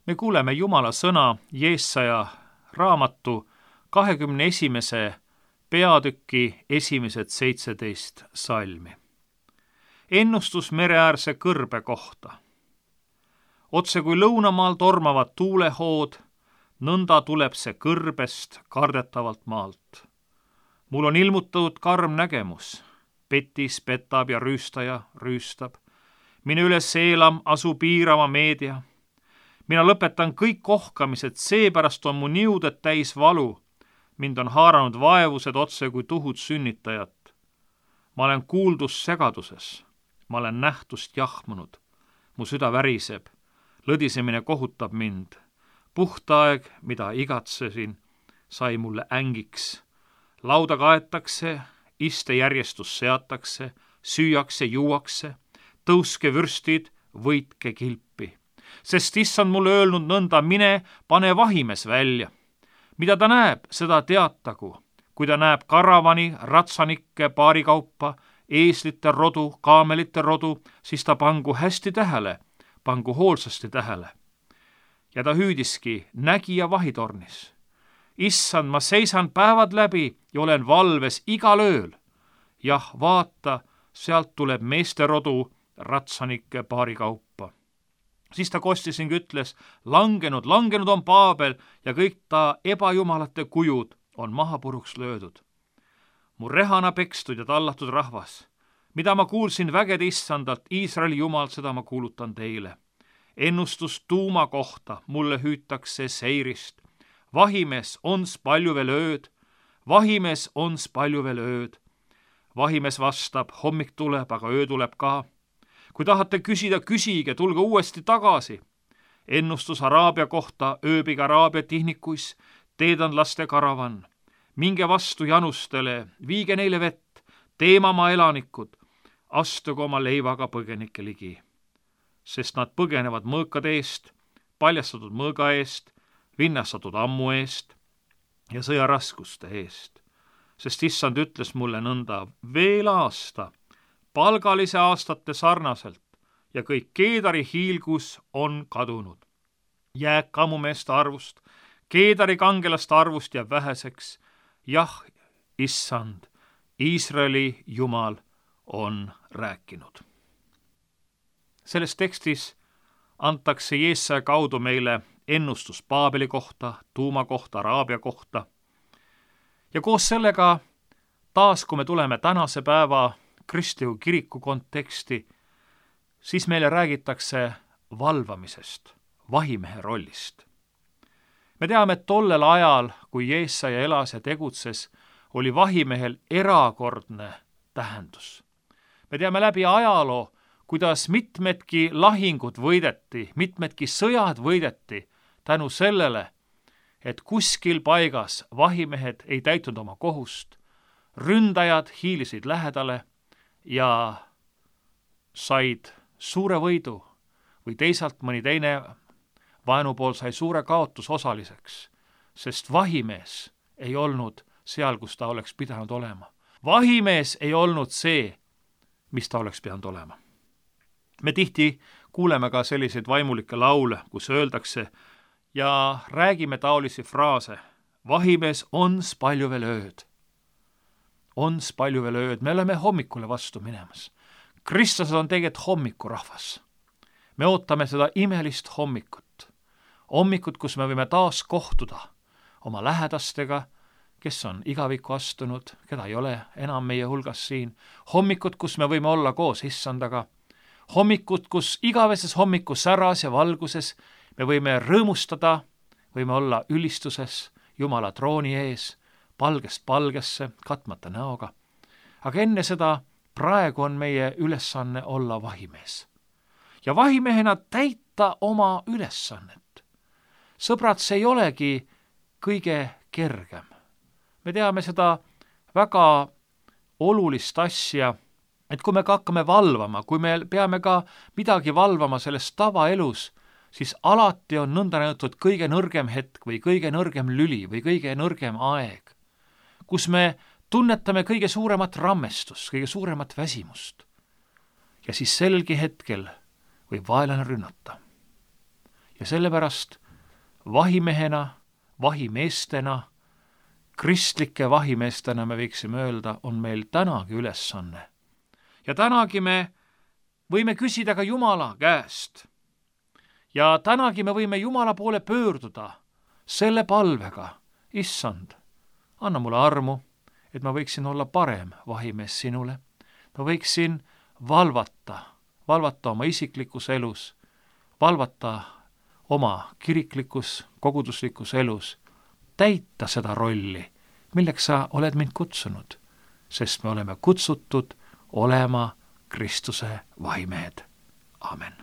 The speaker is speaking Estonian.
Me kuuleme Jumala sõna Jeesaja raamatu 21. peatüki esimesed 17 salmi. Ennustus mereäärse kõrbe kohta. Otse kui lõunamaal tormavad tuulehood, nõnda tuleb see kõrbest kardetavalt maalt. Mul on ilmutatud karm nägemus, petis petab ja rüüstaja rüüstab. Mine üles eelam asu piirama meedia. Mina lõpetan kõik kohkamised, seepärast on mu niuded täis valu. Mind on haaranud vaevused otse kui tuhud sünnitajat. Ma olen kuuldus segaduses, ma olen nähtust jahmunud. Mu süda väriseb, lõdisemine kohutab mind. Puhtaeg, mida igatsesin, sai mulle ängiks. Lauda kaetakse, istejärjestus seatakse, süüakse, juuakse, tõuske vürstid, võitke kilpi. Sest issand mulle öelnud nõnda, mine, pane vahimes välja. Mida ta näeb, seda teatagu. Kui ta näeb karavani, ratsanikke, paarikaupa, eeslite rodu, kaamelite rodu, siis ta pangu hästi tähele, pangu hoolsasti tähele. Ja ta hüüdiski nägija vahitornis. Issand, ma seisan päevad läbi ja olen valves igal ööl. Jah, vaata, sealt tuleb meeste rodu, ratsanike paarikaupa. Siis ta kostis ning ütles, langenud on Paabel ja kõik ta ebajumalate kujud on maha puruks löödud. Mu rehana pekstud ja tallatud rahvas, mida ma kuulsin vägede issandalt, Iisraeli jumal, seda ma kuulutan teile. Ennustus tuuma kohta mulle hüütakse seirist. Vahimees ons palju veel ööd, vahimees ons palju veel ööd. Vahimees vastab, hommik tuleb, aga öö tuleb ka. Kui tahate küsida, küsige, tulge uuesti tagasi. Ennustus Araabia kohta ööbig Araabia tihnikuis, teedan laste karavan. Minge vastu janustele, viige neile vett, teemamaa elanikud, astuge oma leivaga põgenike ligi. Sest nad põgenevad mõõkade eest, paljastatud mõõga eest, vinnastatud ammu eest ja sõjaraskuste eest. Sest issand ütles mulle nõnda, veel aasta, palgalise aastate sarnaselt ja kõik Keedari hiilgus on kadunud. Jääb kammumeeste arvust, Keedari kangelaste arvust jääb väheseks. Jah, issand, Iisraeli jumal on rääkinud. Selles tekstis antakse Jeesaja kaudu meile ennustus Paabeli kohta, tuuma kohta, Araabia kohta. Ja koos sellega taas, kui me tuleme tänase päeva kristliku kiriku konteksti, siis meile räägitakse valvamisest, vahimehe rollist. Me teame, et tollel ajal, kui Jeesaja elas ja tegutses, oli vahimehel erakordne tähendus. Me teame läbi ajaloo, kuidas mitmedki lahingud võideti, mitmedki sõjad võideti tänu sellele, et kuskil paigas vahimehed ei täitnud oma kohust, ründajad hiilisid lähedale ja said suure võidu või teisalt mõni teine vaenupool sai suure kaotusosaliseks, sest vahimees ei olnud seal, kus ta oleks pidanud olema. Vahimees ei olnud see, mis ta oleks pidanud olema. Me tihti kuuleme ka selliseid vaimulikke laule, kus öeldakse ja räägime taolisi fraase. Vahimees ons palju veel ööd. Ons palju veel ööd. Me oleme hommikule vastu minemas. Kristus on tegelikult hommikurahvas. Me ootame seda imelist hommikut. Hommikut, kus me võime taas kohtuda oma lähedastega, kes on igavikku astunud, keda ei ole enam meie hulgas siin. Hommikut, kus me võime olla koos issandaga. Hommikut, kus igaveses hommiku säras ja valguses me võime rõõmustada, võime olla ülistuses Jumala trooni ees, palgest palgesse, katmata näoga. Aga enne seda praegu on meie ülesanne olla vahimees. Ja vahimehena täita oma ülesannet. Sõbrad, see ei olegi kõige kergem. Me teame seda väga olulist asja, et kui me hakkame valvama, kui me peame ka midagi valvama selles tavaelus, siis alati on nõnda näidatud kõige nõrgem hetk või kõige nõrgem lüli või kõige nõrgem aeg, kus me tunnetame kõige suuremat rammestust, kõige suuremat väsimust. Ja siis selgi hetkel võib vaenlane rünnata. ja sellepärast vahimehena, vahimeestena, kristlike vahimeestena me võiksime öelda, on meil tänagi ülesanne. Ja tänagi me võime küsida ka Jumala käest. Ja tänagi me võime Jumala poole pöörduda selle palvega, issand, anna mulle armu, et ma võiksin olla parem vahimees sinule. Ma võiksin valvata oma isiklikus elus, valvata oma kiriklikus, koguduslikus elus, täita seda rolli, milleks sa oled mind kutsunud, sest me oleme kutsutud olema Kristuse vahimehed. Amen.